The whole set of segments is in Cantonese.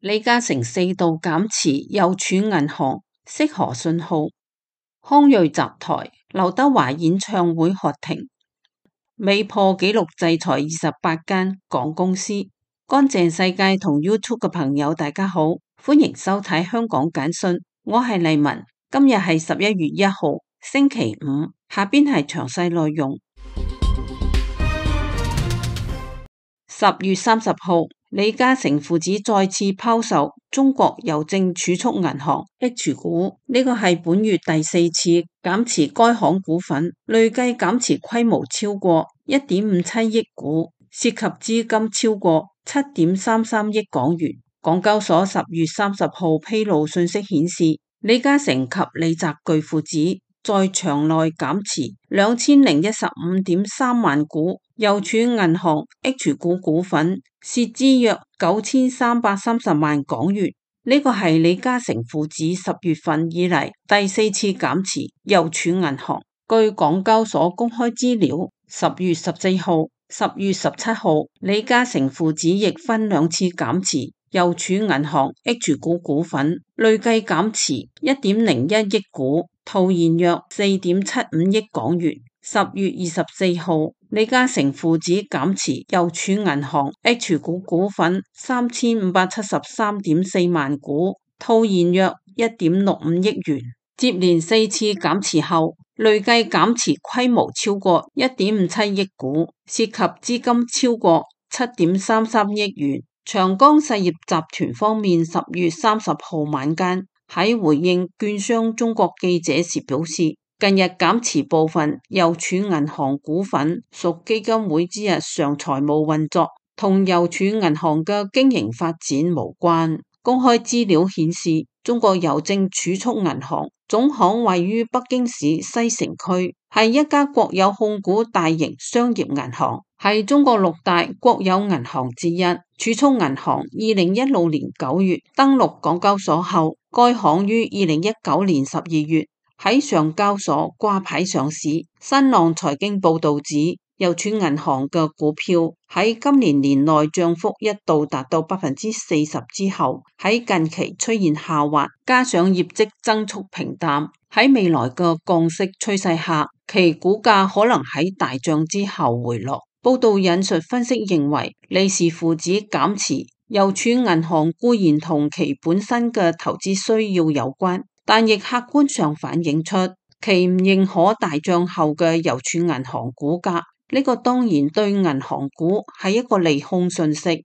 李嘉誠4度減持郵儲銀行，釋何信號？康睿集台劉德華演唱會喝停，美破紀錄制裁28間港公司。乾淨世界同 YouTube 嘅朋友大家好，歡迎收睇香港簡訊，我係麗文。今日係11月1號星期五，下邊係詳細內容。10月30號，李嘉誠父子再次拋售中國郵政儲蓄銀行 H 股，呢個係本月第4次減持該行股份，累計減持規模超過1.57億股，涉及資金超過7.33億港元。港交所10月30號披露信息顯示，李嘉誠及李澤鉅父子在場內減持2015.3萬股郵儲銀行 H 股股份，涉資約9330萬港元。呢個係李嘉誠父子10月份以嚟第4次減持郵儲銀行。據港交所公開資料，10月14號、10月17號，李嘉誠父子亦分2次減持郵儲銀行 H 股股份，累計減持1.01億股，套現約4.75億港元。10月24號，李嘉誠父子減持郵儲銀行 H 股股份3573.4萬股，套現約1.65億元。接連4次減持後，累計減持規模超過1.57億股，涉及資金超過7.33億元。長江實業集團方面10月30號晚間喺回應券商中國記者時表示，近日減持部分郵儲銀行股份屬基金會之日常財務運作，同郵儲銀行嘅經營發展無關。公開資料顯示，中國郵政儲蓄銀行總行位於北京市西城區，係一家國有控股大型商業銀行，係中國6大國有銀行之一。儲蓄銀行2016年9月登陸港交所後，該行於2019年12月喺上交所掛牌上市。新浪財經報道指，郵儲銀行嘅股票喺今年年內漲幅一度達到40%之後，喺近期出現下滑，加上業績增速平淡，喺未來嘅降息趨勢下，其股價可能喺大漲之後回落。報道引述分析認為，李氏父子減持郵儲銀行固然同其本身嘅投資需要有關，但亦客觀上反映出其唔認可大漲後嘅郵儲銀行股價。呢個當然對銀行股係一個利空訊息。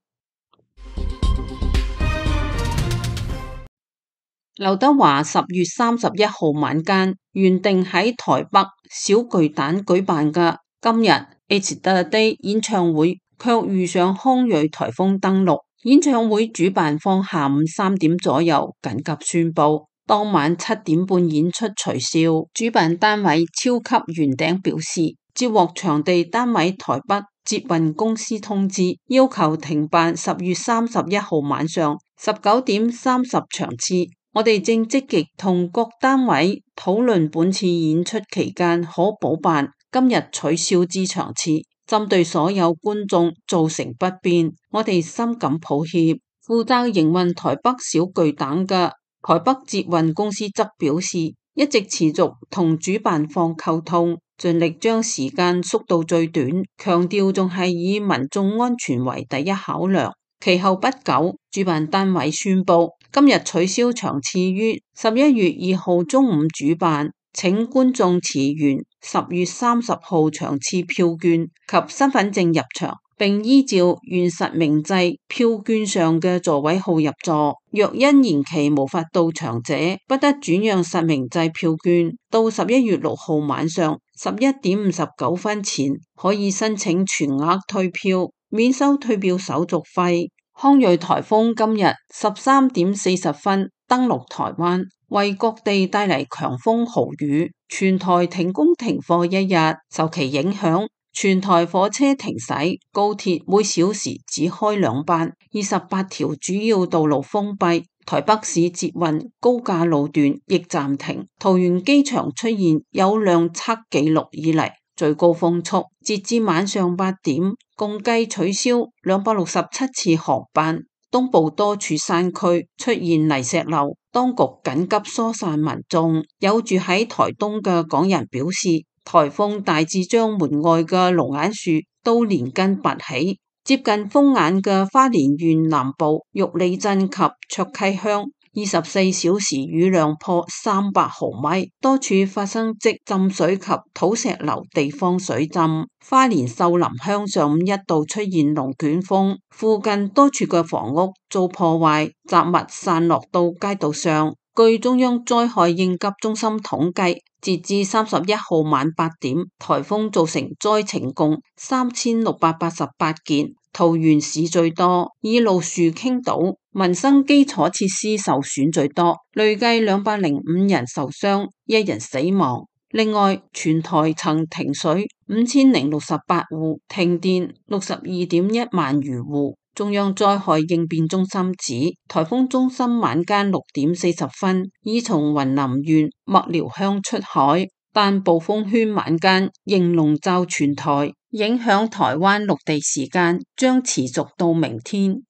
劉德華10月31號晚間原定喺台北小巨蛋舉辦嘅今日 It's the Day 演唱會，卻遇上康睿颱風登陸。演唱會主辦方下午3點左右緊急宣布，當晚7點半演出取消。主辦單位超級圓頂表示，接獲場地單位台北捷運公司通知，要求停辦10月31號晚上19點30場次。我哋正積極同各單位討論本次演出期間可補辦今日取消之場次，針對所有觀眾造成不便，我哋深感抱歉。負責營運台北小巨蛋嘅台北捷運公司則表示，一直持續同主辦方溝通，盡力將時間縮到最短，強調仲係以民眾安全為第一考量。其後不久，主辦單位宣布今日取消場次於11月2號中午主辦，請觀眾持原10月30號場次票券及身份證入場，並依照原實名制票券上嘅座位號入座。若因延期無法到場者，不得轉讓實名制票券。到11月6號晚上11點59分前，可以申請全額退票，免收退票手續費。康睿颱風今日13點40分登陸台灣，為各地帶嚟強風豪雨，全台停工停課1日。受其影響，全台火車停駛，高鐵每小時只開2班，28條主要道路封閉，台北市捷運高架路段亦暫停，桃園機場出現有量測紀錄以嚟最高風速，截至晚上8點，共計取消267次航班。東部多處山區出現泥石流，當局緊急疏散民眾。有住喺台東嘅港人表示，颱風大致將門外嘅龍眼樹都連根拔起。接近風眼嘅花蓮縣南部玉里鎮及卓溪鄉24小時雨量破300毫米，多處發生積浸水及土石流地方水浸。花蓮秀林鄉上午一度出現龍捲風，附近多處嘅房屋遭破壞，雜物散落到街道上。據中央災害應急中心統計，截至31號晚8點，颱風造成災情共3688件。桃園市最多，以路樹傾倒，民生基礎設施受損最多，累計205人受傷，1人死亡。另外，全台曾停水5068戶，停電62.1萬餘戶。中央災害應變中心指，颱風中心晚間6點40分已從雲林縣麥寮鄉出海，但暴風圈晚間仍籠罩全台，影響台灣陸地時間將持續到明天。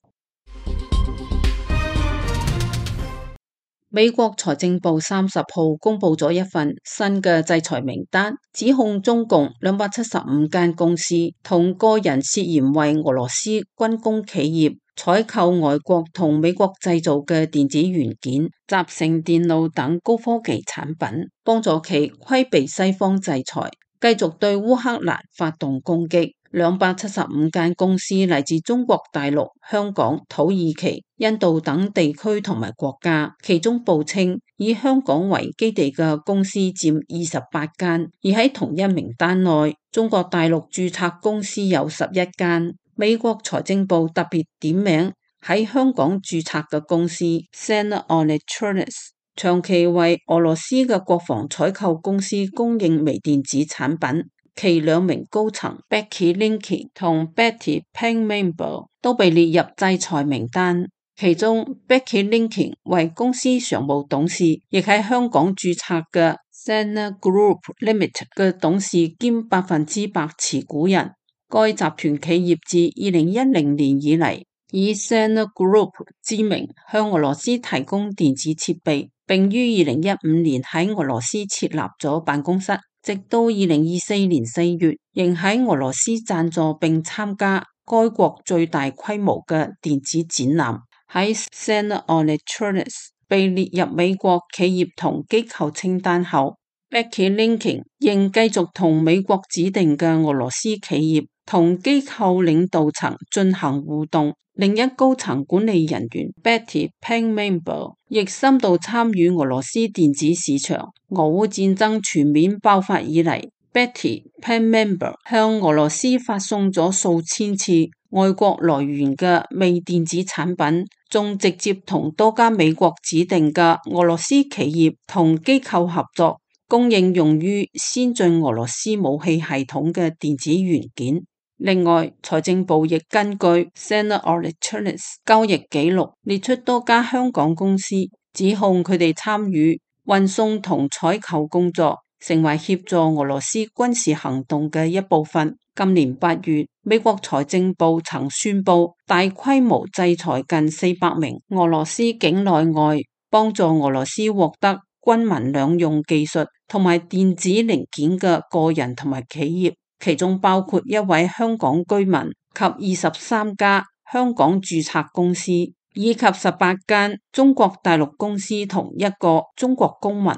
美國財政部30號公布咗一份新嘅制裁名單，指控中共275間公司同個人涉嫌為俄羅斯軍工企業採購外國同美國製造嘅電子元件、集成電路等高科技產品，幫助其規避西方制裁，繼續對烏克蘭發動攻擊。275間公司嚟自中國大陸、香港、土耳其、印度等地區同埋國家，其中報稱以香港為基地嘅公司佔28間，而喺同一名單內，中國大陸註冊公司有11間。美國財政部特別點名喺香港註冊嘅公司 Sena Electronics， 長期為俄羅斯嘅國防採購公司供應微電子產品。其2名高層 Becky Linking 同 Betty Peng-Member 都被列入制裁名單，其中 Becky Linking 為公司常務董事，亦喺香港註冊嘅 Sena Group Limited 嘅董事兼100%持股人。該集團企業自2010年以嚟，以 Sena Group 之名向俄羅斯提供電子設備，並於2015年喺俄羅斯設立咗辦公室。直到2024年4月，仍喺俄羅斯贊助並參加該國最大規模嘅電子展覽。喺 Sena Electronics 被列入美國企業同機構清單後， Becky Linking 仍繼續同美國指定嘅俄羅斯企業同機構領導層進行互動。另一高層管理人員 Betty Peng-Member 亦深度參與俄羅斯電子市場。俄烏戰爭全面爆發以嚟， Betty Peng-Member 向俄羅斯發送咗數千次外國來源嘅微電子產品，仲直接同多家美國指定嘅俄羅斯企業同機構合作，供應用於先進俄羅斯武器系統嘅電子元件。另外，財政部亦根據 Sena Electronics 交易記錄列出多家香港公司，指控佢哋參與運送同採購工作，成為協助俄羅斯軍事行動嘅一部分。今年8月，美國財政部曾宣布大規模制裁近400名俄羅斯境內外幫助俄羅斯獲得軍民兩用技術同埋電子零件嘅個人同埋企業，其中包括一位香港居民及23家香港註冊公司，以及18間中國大陸公司同1個中國公民。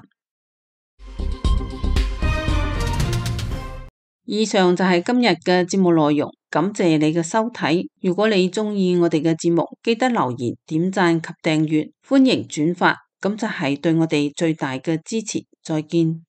以上就係今日嘅節目內容，感謝你嘅收睇。如果你鍾意我哋嘅節目，記得留言、點讚及訂閱，歡迎轉發，咁就係對我哋最大嘅支持。再見。